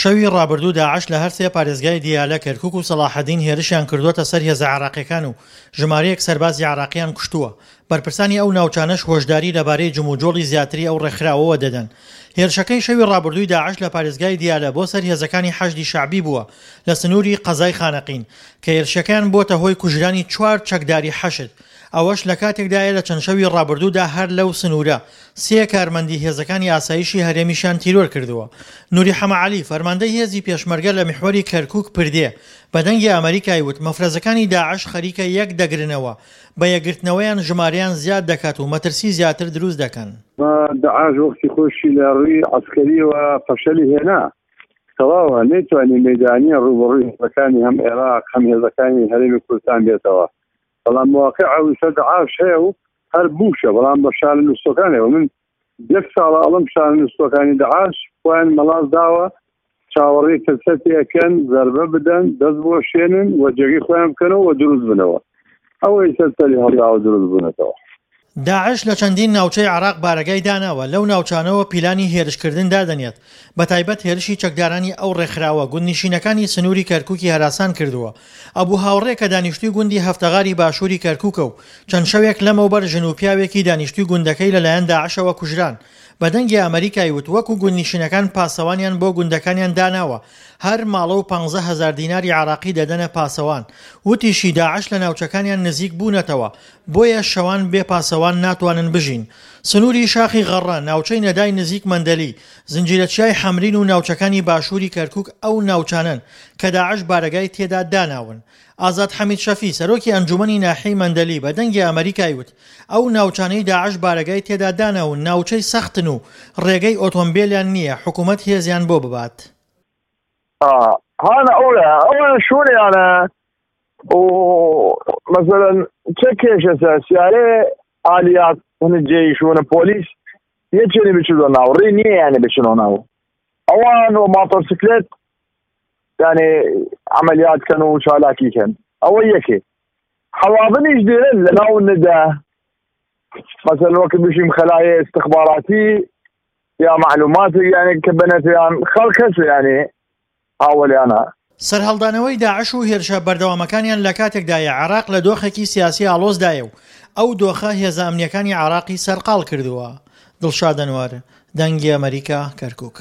شەوی ڕابردوو داعش لە هەرسێ پارێزگای دیالە، کەرکوک و سەڵاحەدین هێرشیان کردووەتە سەر هێزە عێراقییەکان و ژمارەیەک سەربازی عێراقییان کوشتووە. بەرپرسانی ئەو ناوچانەش هۆشداری لەبارەی جموجۆڵی زیاتری ئەو ڕێکخراوەوە دەدەن. هێرشەکەی شەوی ڕابردووی داعش لە پارێزگای دیالە بۆ سەر هێزەکانی حەشدی شەعبی بووە لە سنووری قەزای خانەقین، کە هێرشەکەیان بووەتە هۆی کوژرانی چوار چەکداری حەشد. ئەوەش لەکاتێکدایە لە چەند شەوی ڕابردوودا هەر لەو سنوورە سێ کارمەندی هێزەکانی ئاسایشی هەرێمیشیان تیرۆر کردووە. نوری حەمە عەلی، فەرماندەی هێزی پێشمەرگە لە میحوەری کەرکوک پردێ، بە دەنگی ئەمەریکای وت مەفرەزەکانی داعش خەریکە یەک دەگرنەوە، بە یەکگرتنەوەیان ژمارەیان زیاد دەکات و مەترسی زیاتر دروست دەکەن. داعش وەختی خۆشی لە ڕووی عەسکەریەوە فەشەلی هێنا، تەواوە نەیتوانی مەیدانیە ڕووبەڕووی هێزەکانی هەم عێراق هەم هێزەکانی هەرێمی کوردستان بێتەوە. بەڵام واقع ئەوسە دەعاش هەیە و هەر بووشە بەڵام بە شانە نووسەکانەوە من یەک ساڵە ئەڵم شانە نووسەکانی دەعاش خۆیان مەڵاس داوە چاوەڕێی فرسەتی ئەکەن زەربە بدەن دەست بۆ شێنن و جێگەی خۆیان بکەنەوە و دروست بنەوە ئەوەی سەر سەری هەڵداوە دروست بوونەتەوە. داعش لە چەندین ناوچەی عێراق بارەگای داناوە، لەو ناوچانەوە پیلانی هێرشکردن دادەنێت، بەتایبەت هێرشی چەکدارانی ئەو ڕێکخراوە گوندنشینەکانی سنووری کەرکوکی هەراسان کردووە. ئەبو هاوڕێ کە دانیشتووی گوندی هەفتەغاری باشووری کەرکوکە و چەند شەوێک لەمەوبەر ژن و پیاوێکی دانیشتووی گوندەکەی لەلایەن داعشەوە کوژران، بە دەنگی ئەمەریکای وت وەکو گوندنشینەکان پاسەوانیان بۆ گوندەکانیان داناوە، هەر ماڵە و 15 هەزار دیناری عێراقی دەدەنە پاسەوان. وتیشی داعش لە ناوچەکانیان نزیک بوونەتەوە، بۆیە شەوان بێ پاسەوان ناتوانن بژین. سنووری شاخی غەڕە، ناوچەی نەدای نزیک مەندەلی، زنجیرە چیای حەمرین و ناوچەکانی باشووری کەرکووک ئەو ناوچانەن کە داعش بارەگای تێدا داناون. ئازاد حەمید شەفی، سەرۆکی ئەنجوومەنی ناحیەی مەندەلی بە دەنگی ئەمەریکای وت، ئەو ناوچانەی داعش بارەگای تێدا داناون ناوچەی سەختن و ڕێگەی ئۆتۆمبێلیان نییە حکوومەت هێزیان بۆ ببات. هانا ئەوە ئەوە شوێنیانە و مثلا چه کێشەسە سیارێ ئالیات هەنە جێی شوێنە پۆلیس یەکێنی بچوە ناو ڕێ نییە یانە بچنەوە ناو ئەوان و ماتۆرسیکلێت یانێ عملیات کەن و چالاکی کەن ئەوە یەکێ حەواظنیش دێرن لە ناو ندا مثلا وەک بشیم خەلایە استخباراتی یا معلومات یعنی کە بەنەتیان خەڵک هەس یعنی هاوەلیانە. سەرهەڵدانەوەی داعش و هێرشە بەردەوامەکانیان لە کاتێکدایە عێراق لە دۆخێکی سیاسی ئاڵۆزدایە و ئەو دۆخە هێزە ئەمنییەکانی عێراقی سەرقاڵ کردووە. دڵشاد ئەنوەر، دەنگی ئەمەریکا، کەرکوک.